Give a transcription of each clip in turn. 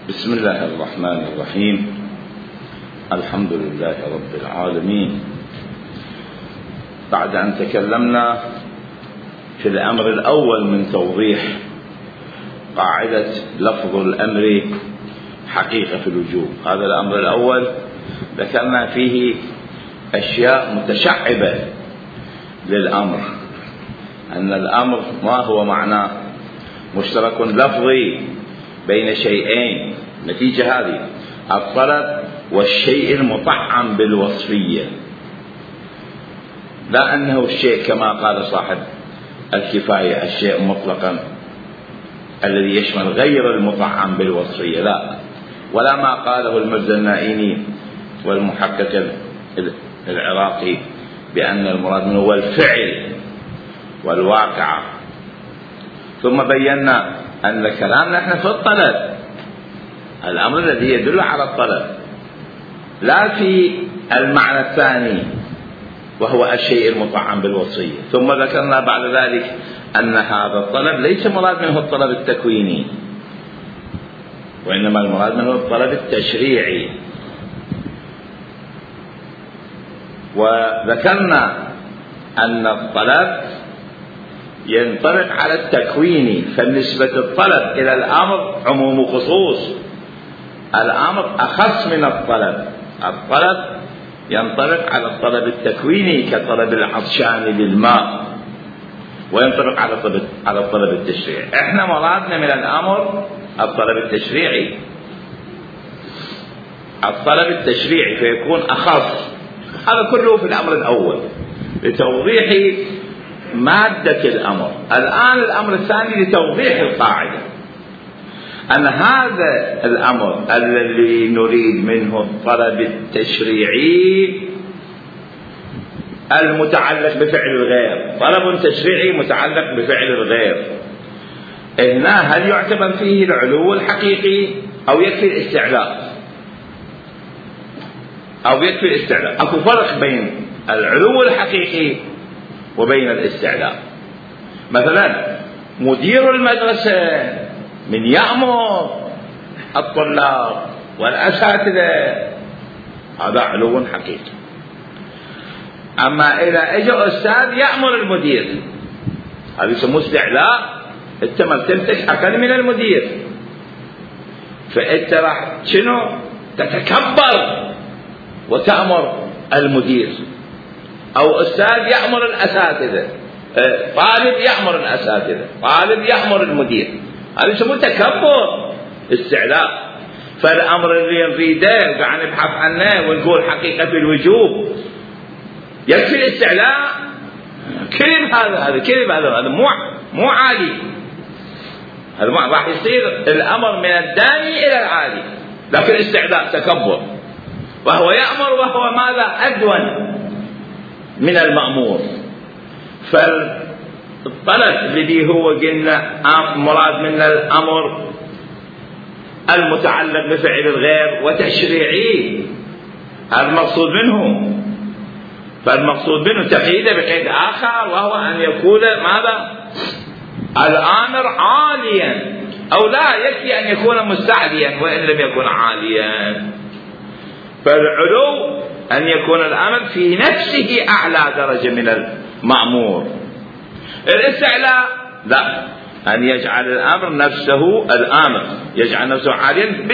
بسم الله الرحمن الرحيم. الحمد لله رب العالمين. بعد أن تكلمنا في الأمر الأول من توضيح قاعدة لفظ الأمر حقيقة في الوجوب، هذا الأمر الأول ذكرنا فيه أشياء متشعبة للأمر، أن الأمر ما هو معناه مشترك لفظي بين شيئين، نتيجة هذه الطلب والشيء المطعم بالوصفية، لا أنه الشيء كما قال صاحب الكفاية الشيء مطلقا الذي يشمل غير المطعم بالوصفية، لا، ولا ما قاله المرزا النائيني والمحقق العراقي بأن المراد منه هو الفعل والواقع. ثم بينا أن كلامنا نحن في الطلب، الأمر الذي يدل على الطلب، لا في المعنى الثاني وهو الشيء المطعم بالوصية. ثم ذكرنا بعد ذلك أن هذا الطلب ليس مراد منه الطلب التكويني، وإنما المراد منه الطلب التشريعي. وذكرنا أن الطلب ينطبق على التكويني، فنسبة الطلب إلى الأمر عموم وخصوص، الأمر أخص من الطلب. الطلب ينطبق على الطلب التكويني كطلب العطشان للماء، وينطبق على الطلب التشريعي. احنا مرادنا من الأمر الطلب التشريعي، الطلب التشريعي فيكون أخص. هذا كله في الأمر الأول لتوضيح مادة الأمر. الآن الأمر الثاني لتوضيح القاعدة، أن هذا الأمر الذي نريد منه الطلب التشريعي المتعلق بفعل الغير، طلب تشريعي متعلق بفعل الغير، هنا هل يعتبر فيه العلو الحقيقي أو يكفي الاستعلاء؟ أو يكفي الاستعلاء. أكو فرق بين العلو الحقيقي وبين الاستعلاء. مثلا مدير المدرسة من يأمر الطلاب والأساتذة، هذا علو حقيقي. أما إذا إجا أستاذ يأمر المدير، هذا يسموه استعلاء. أنت مرتبتك أقل من المدير، فأنت راح شنو تتكبر وتأمر المدير. أو أستاذ يأمر الأساتذة، طالب يأمر الأساتذة، طالب يأمر المدير، هذا يسموه تكبر، استعلاء. فالأمر اللي نريده قاعد نبحث عنه ونقول حقيقة الوجوب يكفي الاستعلاء؟ كذب، هذا كذب، هذا مو عادي. هذا راح يصير الأمر من الداني إلى العادي، لكن الاستعلاء تكبر، وهو يأمر وهو ماذا؟ أدون من المأمور. فالطلب الذي هو قلنا مراد من الأمر المتعلق بفعل الغير وتشريعي، هذا المقصود منه. فالمقصود منه تقييده بقيد آخر، وهو أن يكون ماذا؟ الآمر عاليا، أو لا يكفي أن يكون مستعليا وإن لم يكن عاليا. فالعلو أن يكون الأمر في نفسه أعلى درجة من المأمور. الاستعلاء لا، أن يجعل الأمر نفسه، الآمر يجعل نفسه عاليا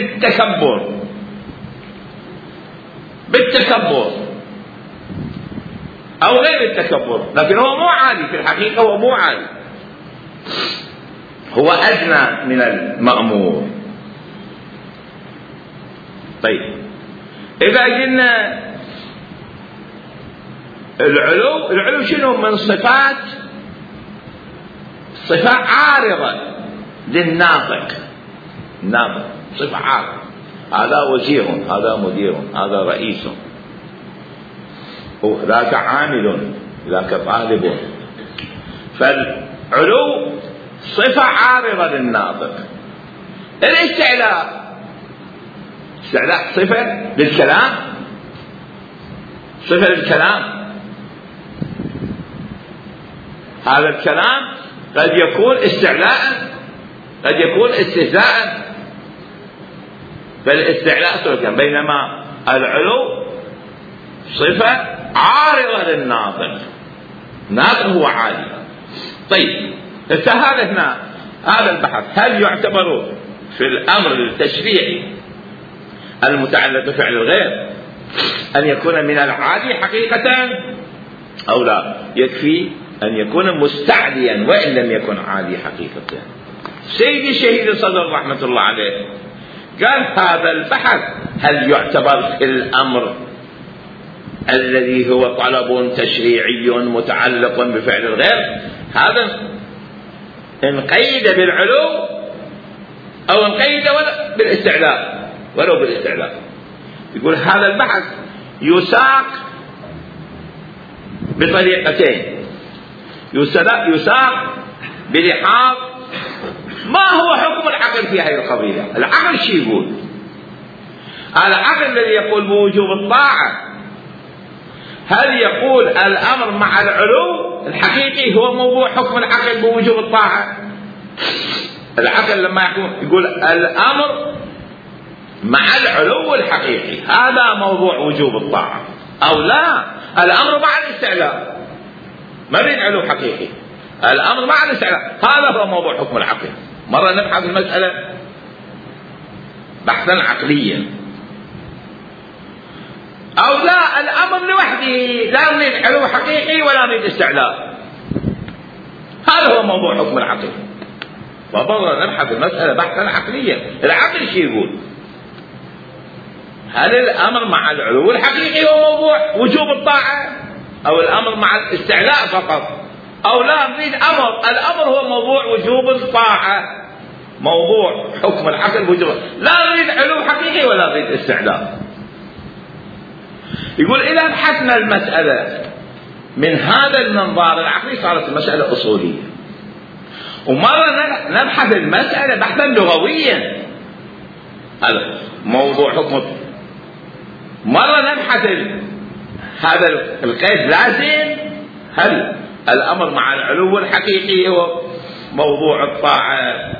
بالتكبر أو غير التكبر، لكن هو مو عالي في الحقيقة، هو مو عالي، هو أدنى من المأمور. طيب، إذا قلنا العلو شنو؟ من صفات، صفة عارضة للناطق. الناطق صفة عارضة، هذا وزير، هذا مدير، هذا رئيس، ذاك عامل، ذاك طالب. فالعلو صفة عارضة للناطق. الاستعلاء صفة للكلام، صفة للكلام. هذا الكلام قد يكون استعلاء، قد يكون استهزاء، فالاستعلاء صفة، بينما العلو صفة عارضة للناطق، الناطق هو عالي. طيب هذا هنا هذا البحث هل يعتبر في الأمر التشريعي المتعلق بفعل الغير أن يكون من العادي حقيقة أو لا؟ يكفي أن يكون مستعليا وإن لم يكن عادي حقيقة. سيدي الشهيد صدر رحمة الله عليه قال هذا البحث هل يعتبر في الأمر الذي هو طلب تشريعي متعلق بفعل الغير، هذا إن قيد بالعلو أو إن قيد بالاستعلاء ولو بالاستعلاء. يقول هذا البحث يساق بطريقتين، يساق بلحاظ ما هو حكم العقل في هذه القضية. العقل شو يقول؟ العقل الذي يقول بوجوب الطاعة هل يقول الأمر مع العلو الحقيقي هو موضوع حكم العقل بوجوب الطاعة؟ العقل لما يقول الأمر مع العلو الحقيقي هذا موضوع وجوب الطاعة، أو لا الأمر مع الاستعلاء، ما بين علو حقيقي، الأمر مع الاستعلاء هذا هو موضوع حكم العقل. مرة نبحث المسألة بحثا عقليا، أو لا الأمر لوحده لا نريد علو حقيقي ولا نريد استعلاء، هذا هو موضوع حكم العقل. فمرة نبحث المسألة بحثا عقليا، العقل شو يقول؟ هل الأمر مع العلو الحقيقي هو موضوع وجوب الطاعة، أو الأمر مع الاستعلاء فقط، أو لا نريد الأمر هو موضوع وجوب الطاعة، موضوع حكم العقل بوجوب، لا نريد علو حقيقي ولا نريد استعلاء. يقول إذا بحثنا المسألة من هذا المنظار العقلي صارت المسألة أصولية، ومرة نبحث المسألة بحثا لغويا، هذا موضوع حكم، مرة نبحث هذا القيد لازم هل الأمر مع العلو الحقيقي هو موضوع الطاعة،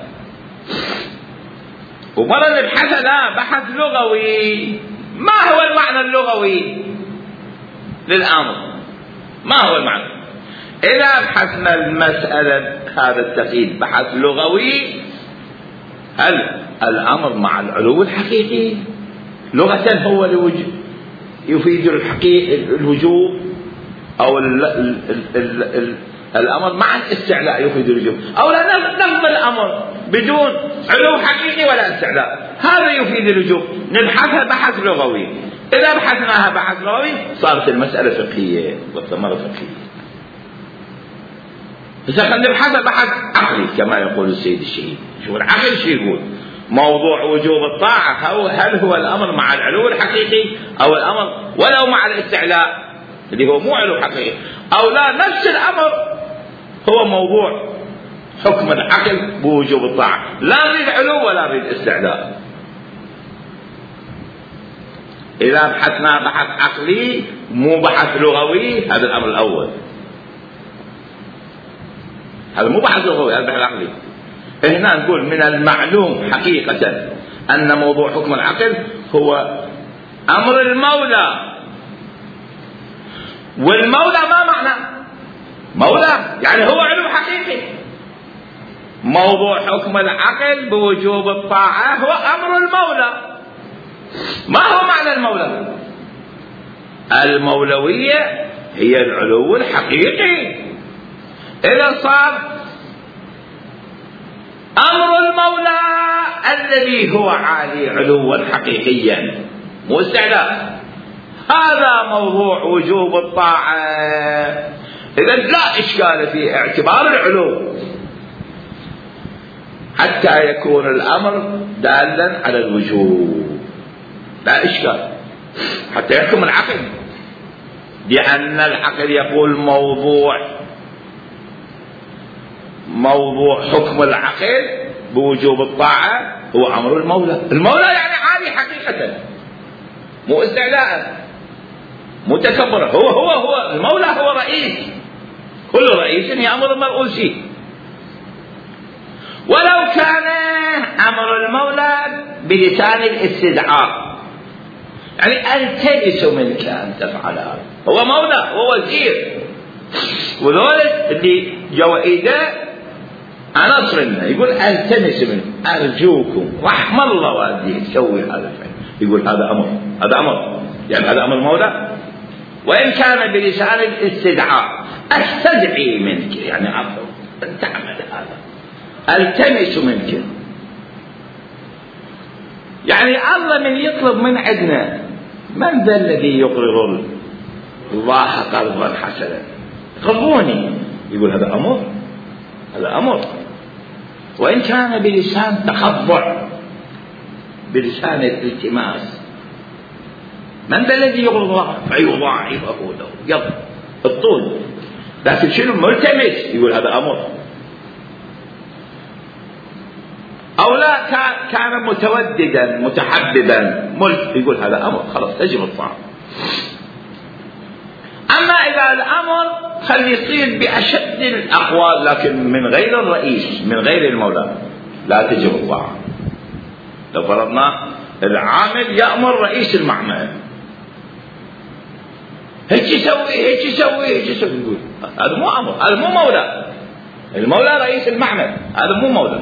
ومرة نبحث لا بحث لغوي، ما هو المعنى اللغوي للأمر، ما هو المعنى. إذا بحثنا المسألة هذا التقييد بحث لغوي، هل الأمر مع العلو الحقيقي لغة هو يفيد الوجوب، أو الأمر مع الاستعلاء يفيد الوجوب، أو لا نفض الأمر بدون علو حقيقي ولا استعلاء هذا يفيد الوجوب، نبحثها بحث لغوي. إذا بحثناها بحث لغوي صارت المسألة فقهية، مرة فقهية. إذا خلينا نبحثها بحث عقلي كما يقول السيد الشهيد، شو العقل شو يقول؟ موضوع وجوب الطاعة هل هو الأمر مع العلو الحقيقي، أو الأمر ولو مع الاستعلاء اللي هو مو علو حقيقي، أو لا نفس الأمر هو موضوع حكم العقل بوجوب الطاعة، لا نريد علو ولا نريد استعلاء. إذا بحثنا بحث عقلي مو بحث لغوي، هذا الأمر الأول، هذا مو بحث لغوي، هذا بحث عقلي. هنا نقول من المعلوم حقيقة أن موضوع حكم العقل هو أمر المولى، والمولى ما معنى مولى؟ يعني هو علو حقيقي. موضوع حكم العقل بوجوب الطاعة هو أمر المولى. ما هو معنى المولى؟ المولوية هي العلو الحقيقي. إذا صار أمر المولى الذي هو عالي علوا حقيقيا مو استعلاء، هذا موضوع وجوب الطاعة. إذا لا إشكال في اعتبار العلو حتى يكون الأمر دالا على الوجوب، لا إشكال حتى يحكم العقل، لأن العقل يقول موضوع حكم العقل بوجوب الطاعة هو أمر المولى. المولى يعني عالي حقيقة، مو استعلاء مو تكبر، هو المولى هو رئيس، كل رئيس يأمر المرؤوسين. ولو كان أمر المولى بلسان الاستدعاء، يعني ألتمس منك أن تفعل هذا، هو مولى، هو وزير، وذلك اللي جوا إيده عناصر منه، يقول ألتمس منك، أرجوكم رحم الله والديك سوي هذا الفعل، يقول هذا أمر، هذا أمر، يعني هذا أمر مولى. وإن كان بلسان الاستدعاء، أستدعي منك، يعني عفوا أن تعمل هذا، ألتمس منك، يعني الله من يطلب من عندنا، من ذا الذي يقرض الله قرضا حسنا قرضوني، يقول هذا أمر، هذا أمر. وإن كان بلسان تخضع، بلسان الالتماس، من ذا الذي يقرض الله فيضاعفه له، يضرب الطول، لكن شنو ملتمس، يقول هذا أمر. أو لا كان متوددا متحببا يقول هذا أمر، خلاص تجب الطاعة. أما إذا الأمر خلي يصير بأشد الأقوال لكن من غير الرئيس، من غير المولى، لا تجب الطاعة. لو فرضنا العامل يأمر رئيس المعمل هيك يسوي هيك يسوي هيك يسوي، يقول هذا مو أمر، هذا مو مولى. المولى رئيس المعمل، هذا مو مولى.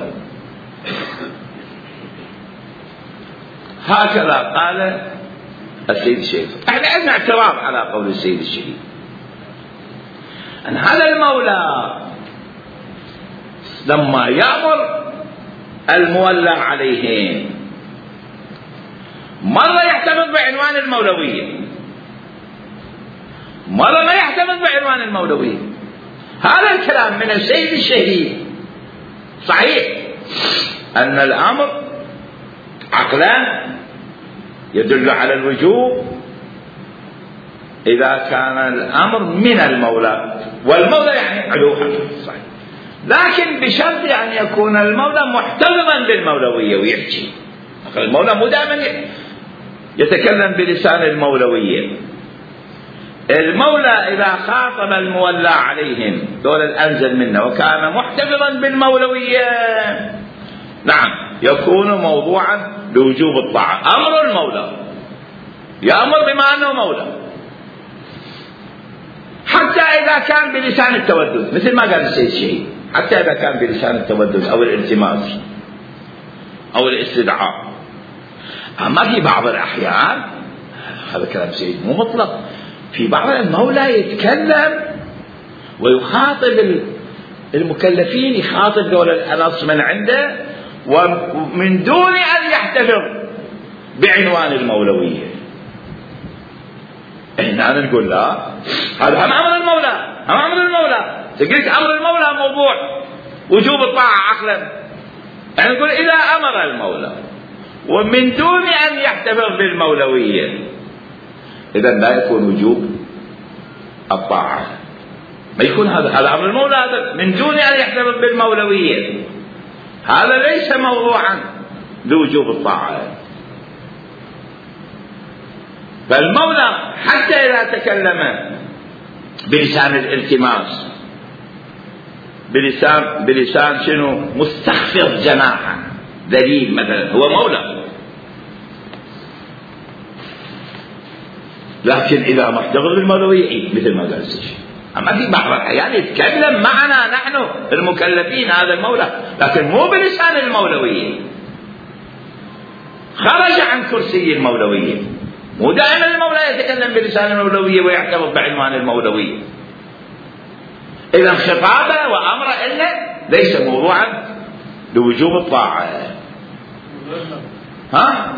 هكذا قال السيد الشهيد. احنا عندنا اعتراض على قول السيد الشهيد ان هذا المولى لما يأمر المولى عليهم مرة يعتمد بعنوان المولوية، مرة ما يعتمد بعنوان المولوية. هذا الكلام من السيد الشهيد صحيح أن الأمر عقلا يدل على الوجوب إذا كان الأمر من المولى، والمولى يعني علو حقيقي صحيح، لكن بشرط أن يكون المولى محترما بالمولوية ويحكي. المولى مو دائما يتكلم بلسان المولوية. المولى إذا خاطب المولى عليهم دول الأنزل منه وكان محتفظا بالمولوية، نعم يكون موضوعا لوجوب الطاعة. أمر المولى يأمر بما أنه مولى، حتى إذا كان بلسان التودد، مثل ما قال السيد الشهيد، حتى إذا كان بلسان التودد أو الالتماس أو الاستدعاء. أما في بعض الأحيان، هذا كلام سيد مو مطلق، في بعض المولى يتكلم ويخاطب المكلفين، يخاطب دول الأنص من عنده ومن دون أن يحتفظ بعنوان المولوية. احنا نقول لا، هذا هم أمر المولى، هم أمر المولى. تقولك أمر المولى موضوع وجوب الطاعة عقلا، يعني نقول إذا أمر المولى ومن دون أن يحتفظ بالمولوية، إذا لا يكون وجوب الطاعة، ما يكون هذا أمر المولى، هذا من دون أن يحتفظ بالمولوية، هذا ليس موضوعا لوجوب الطاعة. فالمولى حتى إذا تكلم بلسان الالتماس، بلسان شنو مستخفض جناحا ذليل مثلا، هو مولى. لكن إذا محتفظ بالمولوية مثل ما قال الشيخ. أما في بعض الأحيان يتكلم معنا نحن المكلفين هذا المولى، لكن مو بلسان المولوية، خرج عن كرسي المولوية. مو دائما المولى يتكلم بلسان المولوية ويعتبر بعنوان المولوية. إذا خطابه وأمره إلا ليس موضوعا لوجوب الطاعة. ها؟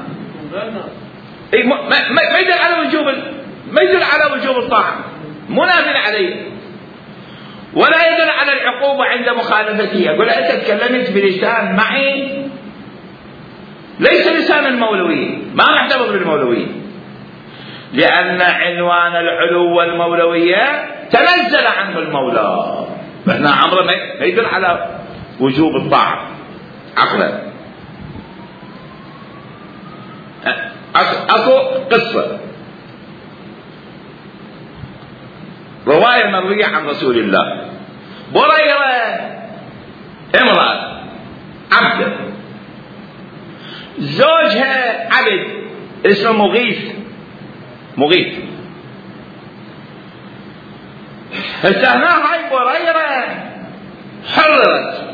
ما يدل على وجوب الطاعة، منافٍ عليه، ولا يدل على العقوبة عند مخالفته. يقول أنت تكلمت بلسان معي ليس لسان المولوية، ما محتفظ بالمولوية، لأن عنوان العلو والمولوية تنزل عنه المولى، فهنا أمره ما يدل على وجوب الطاعة عقلا. أكو قصة رواية مروية عن رسول الله، بريرة امرأة زوجها عبد اسمه مغيث. هسه هنا هاي بريرة حررت.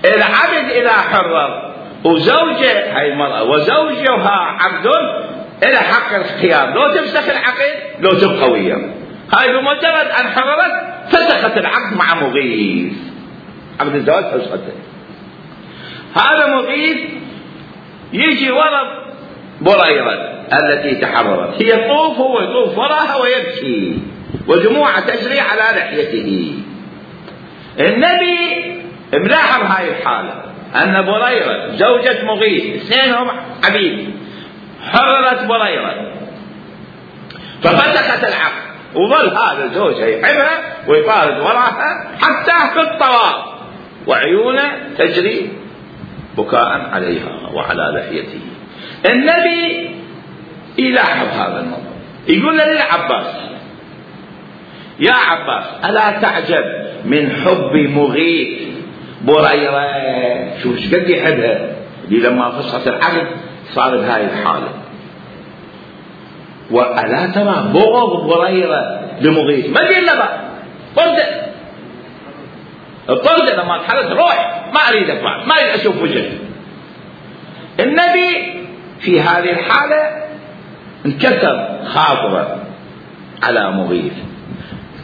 العبد إذا حرر وزوجه هاي المرأة وزوجها عبد إلى حق الاختيار، لو تفسخ العقد لو تبقى وياه. هاي بمجرد أن حررت فسخت العقد مع مغيث، عقد الزواج فسخته. هذا مغيث يجي ورا بريرة التي تحررت، هي يطوف، هو يطوف وراها ويبكي ودموع تجري على لحيته. النبي ملاحظ هاي الحالة، أن بريرة زوجة مغيث اثنينهم عبيد، حررت بريرة ففسخت العقد، وظل هذا زوجها يحبها ويطارد وراها حتى في الطواف وعيونه تجري بكاء عليها وعلى لحيته. النبي يلاحظ هذا الموضوع، يقول للعباس: يا عباس ألا تعجب من حب مغيث بريرة؟ شوف ايش قد يحبها، اللي لما فسخت العقد صار بهاي الحالة. وألا ترى بغض بريرة لمغيث؟ ما قيل له طرده لما تحرت روح، ما أريدك بعد، ما أريد أشوف وجهك. النبي في هذه الحالة انكسر خاطره على مغيث،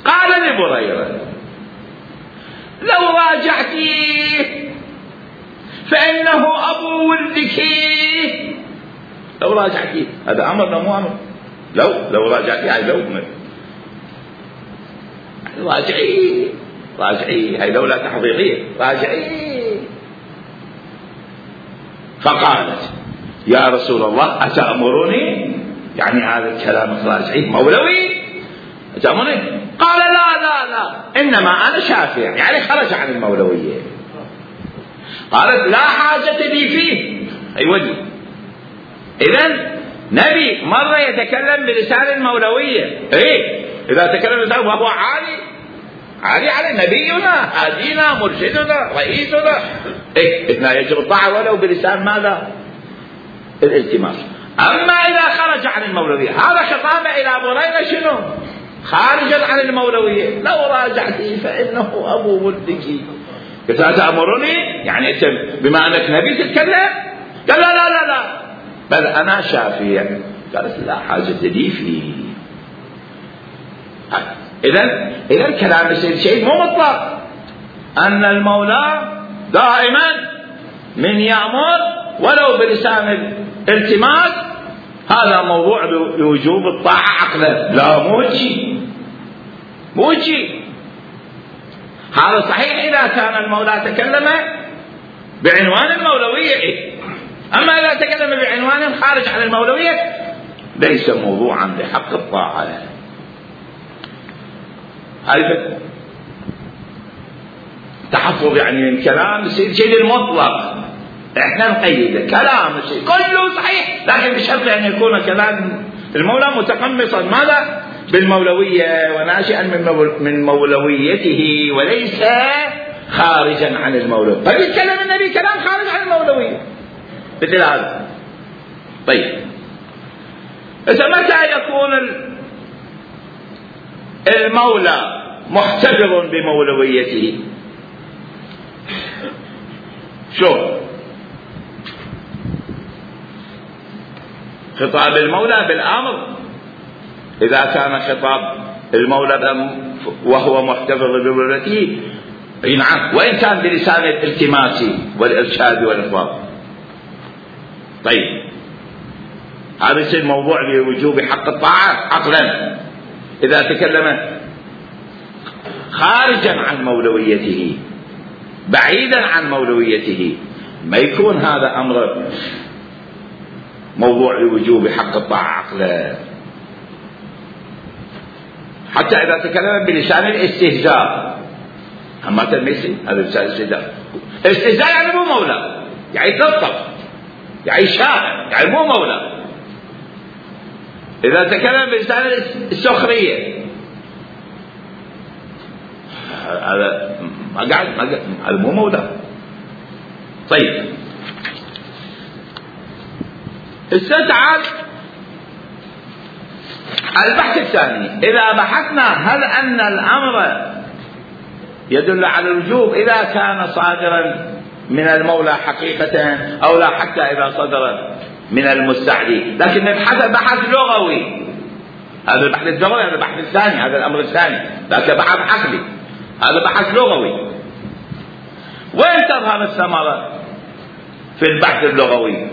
قال لبريرة: لو راجعتيه فإنه أبو ولدك. لو راجعتيه، هذا أمر مو أمر. لو راجعتيه هاي لو راجعيه هاي لولا تحضيرية، راجعيه. فقالت: يا رسول الله أتأمرني؟ يعني هذا الكلام راجعيه مولوي أتأمرني؟ قال: لا إنما أنا شافع، يعني خرج عن المولوية. قالت: لا حاجة لي فيه. أيوة، إذن نبي مرة يتكلم بلسان المولوية، إذا تكلم بلسان وهو عالي على نبينا هادينا مرشدنا رئيسنا، إثناء يجب الطاعة ولو بلسان ماذا؟ الالتماس. أما إذا خرج عن المولوية، هذا خطابه إلى بريرة شنو؟ خارجا عن المولوية. لو راجعتي فإنه أبو ولدك. إذا تأمرني يعني أنت بما أنك نبي تتكلم؟ قال: لا بل أنا شافع. قالت: لا حاجة لي فيه. إذن كلام السيد شيء مو مطلق، أن المولى دائما من يأمر ولو بلسان الالتماس هذا موضوع لوجوب الطاعة عقلا. لا، مو شيء. هذا صحيح إذا كان المولى تكلم بعنوان المولوية، أما إذا تكلم بعنوان خارج عن المولوية ليس موضوعا لحق الطاعة. هذا تحفظ يعني من كلام السيد شيء المطلق، احنا نقيده كلام الشيء كله صحيح، لكن بشرط ان يكون كلام المولى متقمصا ماذا؟ بالمولوية وناشئا من مولويته وليس خارجا عن المولوية. فبيتكلم النبي كلام خارج عن المولوية مثل هذا. طيب، إذا متى يكون المولى محتفظ بمولويته؟ شو خطاب المولى بالأمر؟ إذا كان خطاب المولى وهو محتفظ بمولويته نعم، وإن كان بلسان الالتماس والإرشاد والإخبار. طيب، هذا يصير موضوع لوجوب حق الطاعة عقلا. إذا تكلم خارجا عن مولويته بعيدا عن مولويته ما يكون هذا أمر موضوع لوجوب حق الطاعة عقلا. حتى إذا تكلم بلسان الاستهزاء، أما تلميسي هذا لسان الاستهزاء. الاستهزاء يعني مو مولى، يعني تلطف، يعني شاعر، يعني مو مولى. إذا تكلم بلسان السخرية هذا هذا مو مولى. طيب استدعى البحث الثاني. إذا بحثنا هل أن الأمر يدل على الوجوب إذا كان صادرا من المولى حقيقة أو لا، حتى إذا صدر من المستعلي، لكن نبحث بحث لغوي. هذا البحث اللغوي، هذا البحث الثاني، هذا الأمر الثاني، لكن بحث عقلي، هذا بحث لغوي. وين تظهر الثمرة في البحث اللغوي؟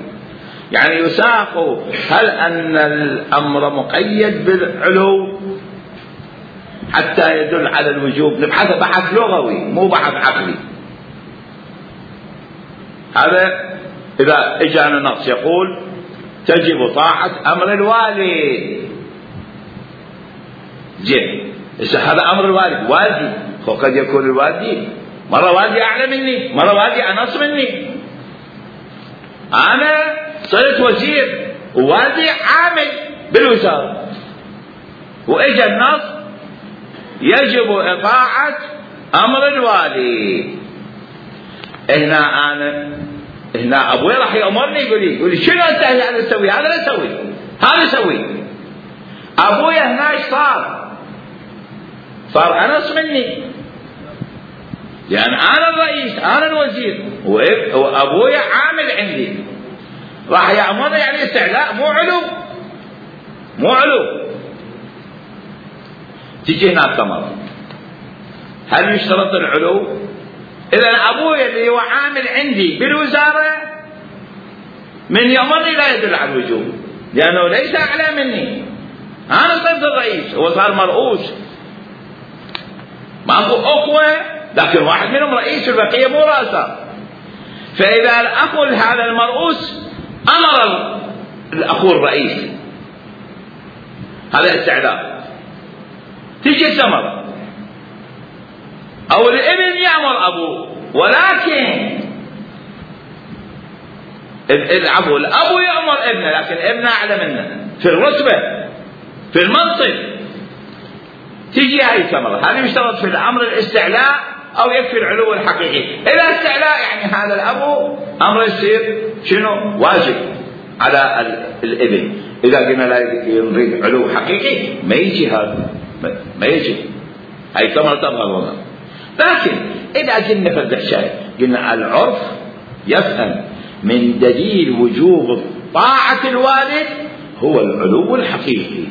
يعني يساق هل أن الأمر مقيد بالعلو حتى يدل على الوجوب، نبحث بحث لغوي مو بحث عقلي. هذا إذا إجانا نص يقول تجب طاعة أمر الوالي، زين، هذا أمر الوالد، والدي، وقد يكون الوالدي مرة والدي أعلى مني، مرة والدي أنص مني. أنا صرت وزير ووالدي عامل بالوزارة، وإجا النص يجب إطاعة أمر الوالي. هنا أبوي راح يأمرني، يقول لي شنو أنت هذا تسوي؟ هذا لا تسوي، هذا سوي. أبوي هنا إيش صار أنص مني، يعني أنا الرئيس، أنا الوزير، وأبوي عامل عندي، راح يأمرني، يعني استعلاء مو علو. تجي هنا الثمرة، هل يشترط العلو؟ إذا أبوي اللي هو عامل عندي بالوزارة من يأمرني لا يدل على الوجوب، لأنه ليس أعلى مني، أنا صرت الرئيس، هو صار مرؤوس، ماكو أخوة، لكن واحد منهم رئيس والبقية مو رأسه. فإذا الأخ هذا المرؤوس أمر الأخو الرئيس، هذا استعلاء، تجي الثمرة. أو الابن يأمر أبوه، ولكن الأبو يأمر ابنه، لكن ابنه أعلى منه في الرتبة في المنصب، تجي هاي الثمرة. هذا يشترط في الأمر الاستعلاء أو يكفي العلو الحقيقي. إذا استعلاء يعني هذا الأبو أمر يصير شنو؟ واجب على الابن. إذا قلنا لا نريد علو حقيقي ما يجي هذا، ما يجي، هاي ثمرة تظهر هنا. لكن إذا قلنا فقط شيء، قلنا العرف يفهم من دليل وجوب طاعة الوالد هو العلو الحقيقي،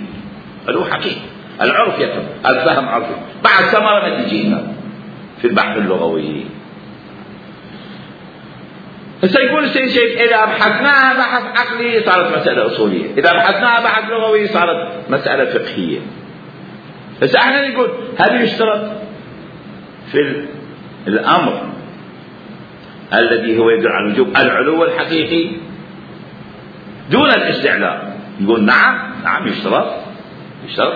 علو حقيقي، العرف يفهم، الفهم عرفي. بعد ثمرة ما تجينا في البحث اللغوي. سيكون السيد إذا بحثناها بحث عقلي صارت مسألة أصولية، إذا بحثناها بحث لغوي صارت مسألة فقهية. بس احنا نقول هل يشترط في الأمر الذي هو يدل على الوجوب العلو الحقيقي دون الاستعلاء؟ نقول نعم يشترط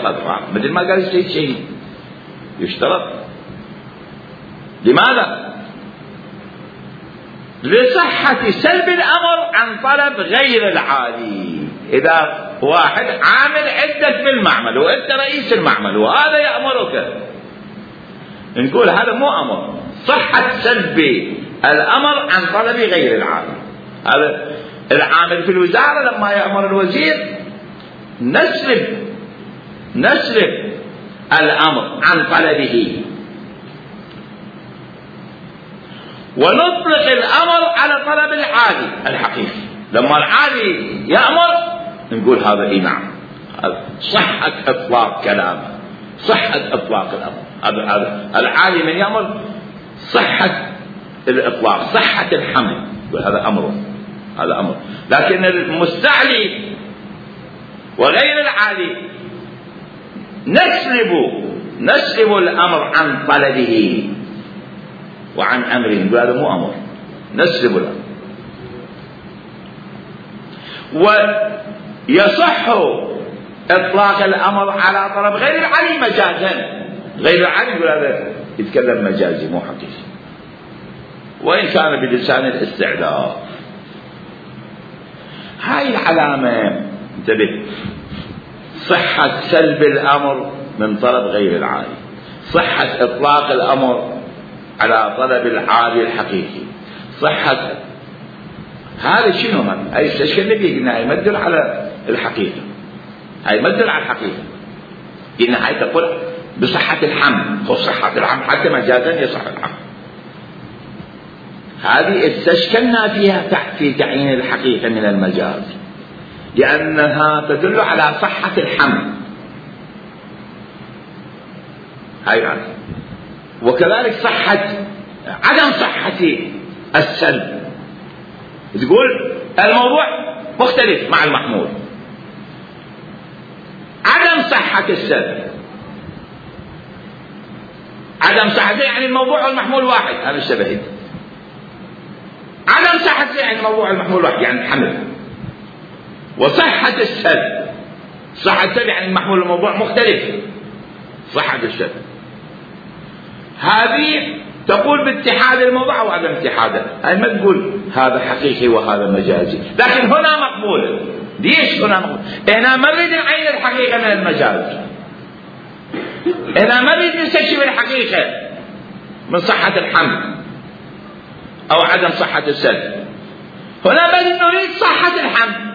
هذا، مثل ما قال السيد شهيد يشترط. لماذا؟ لصحة سلب الأمر عن طلب غير العالي. إذا واحد عامل عندك بالمعمل وأنت رئيس المعمل وهذا يأمرك، نقول هذا مو أمر، صحة سلب الأمر عن طلب غير العالي. هذا العامل في الوزارة لما يأمر الوزير نسلب الأمر عن طلبه، ونطلق الأمر على طلب العالي الحقيقي. لما العالي يأمر نقول هذا نعم، صحة إطلاق كلامه، صحة إطلاق الأمر. هذا العالي من يأمر صحة الإطلاق، صحة الحمل، هذا أمره، هذا أمر. لكن المستعلي وغير العالي نسلب الأمر عن طلبه وعن أمره، هذا مو أمر، نسلب الأمر. ويصح إطلاق الأمر على طلب غير العالي مجازا، غير العالي يقول هذا يتكلم مجازي مو حقيقي، وإن كان بلسان الاستعلاء. هاي العلامة انتبه، صحة سلب الأمر من طلب غير العالي، صحة إطلاق الأمر على طلب العالي الحقيقي، صحة هذا شنو هذا؟ هاي استشكلنا به، قلنا هاي ما تدل على الحقيقة، هاي ما تدل على الحقيقة. قلنا هاي تقول بصحة الحمل، وصحة الحمل حتى مجازا يصح الحمل. هذه استشكلنا فيها في تعيين الحقيقة من المجاز، لأنها تدل على صحة الحمل. هاي معنى. وكذلك عدم صحة السلب، تقول الموضوع مختلف مع المحمول. عدم صحة السلب، عدم صحته يعني الموضوع والمحمول واحد، هذا الشبهي. عدم صحته يعني الموضوع والمحمول واحد، يعني الحمل. وصحة السلب، صحة السلب يعني المحمول والموضوع مختلف، صحة السلب. هذه تقول باتحاد الموضوع وعدم اتحاده، هاي ما تقول هذا حقيقي وهذا مجازي. لكن هنا مقبول. ليش هنا مقبول؟ هنا ما نريد نعين الحقيقة من المجاز، هنا ما نريد نستكشف الحقيقة من صحة الحمل أو عدم صحة السلب. هنا بل نريد صحة الحمل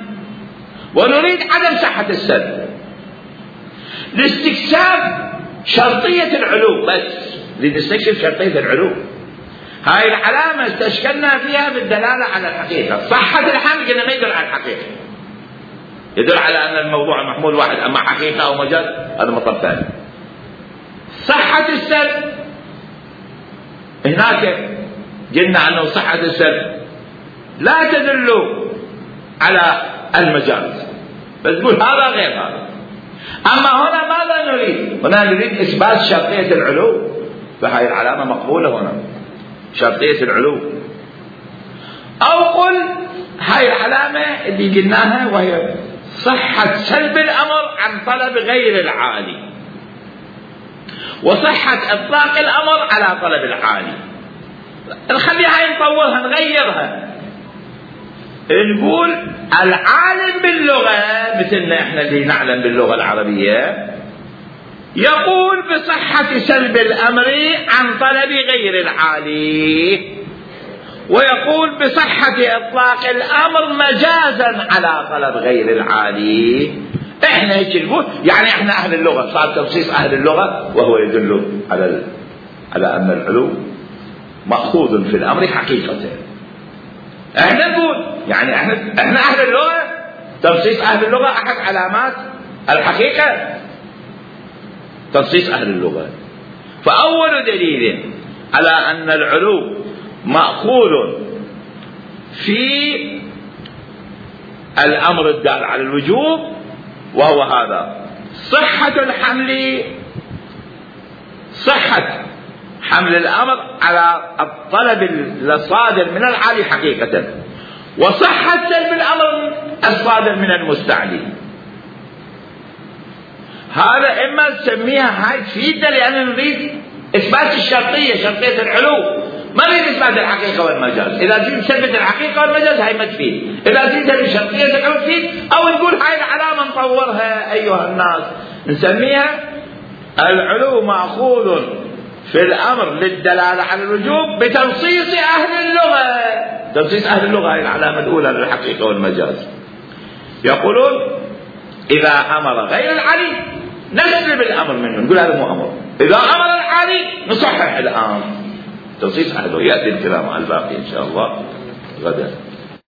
ونريد عدم صحة السلب، لاستكشاف شرطية العلو. بس لنستكشف شرطية العلو. هاي العلامة استشكلنا فيها بالدلالة على الحقيقة. صحة الحمل قلنا ما يدل على الحقيقة، يدل على أن الموضوع المحمول واحد، أما حقيقة أو مجاز هذا مطلب ثاني. صحة السلب هناك قلنا أنه صحة السلب لا تدل على المجاز، بس تقول هذا غير هذا. أما هنا ماذا نريد؟ هنا نريد إثبات شرطية العلو، فهذه العلامة مقبولة هنا، شرطية العلو. أو قل هاي العلامة اللي قلناها وهي صحة سلب الأمر عن طلب غير العالي، وصحة إطلاق الأمر على طلب العالي. نخليها هاي نطورها نغيرها، نقول العالم باللغة مثلنا احنا اللي نعلم باللغة العربية يقول بصحة سلب الأمر عن طلب غير العالي، ويقول بصحة إطلاق الأمر مجازا على طلب غير العالي. احنا هيك نقول، يعني احنا أهل اللغة، صار تخصيص أهل اللغة، وهو يدل على أن العلو مأخوذ في الأمر حقيقة. احنا نقول يعني احنا أهل اللغة، تخصيص أهل اللغة أحد علامات الحقيقة، تخصيص أهل اللغة. فأول دليل على أن العلو مأخوذ في الأمر الدال على الوجوب، وهو هذا صحة الحمل، صحة حمل الأمر على الطلب الصادر من العالي حقيقة، وصحة سلب الأمر الصادر من المستعلي. هذا إما تسميها هاي تفيدنا لأن نريد إثبات الشرطية، شرطية العلو، ما نريد إثبات الحقيقة والمجاز. إذا تريد تثبت الحقيقة والمجاز هاي ما تفيد، إذا تريد تثبت شرطية العلو تفيد. أو نقول هاي العلامة نطورها أيها الناس، نسميها العلو مأخوذ في الأمر للدلالة على الوجوب بتنصيص أهل اللغة. تنصيص أهل اللغة هي العلامة الأولى للحقيقة والمجاز. يقولون إذا أمر غير العلي نسلب الأمر منه، نقول هذا مو أمر. إذا أمر العلي نصحح الأمر. تنصيص أهله. يأتي الكلام على الباقي إن شاء الله غدا.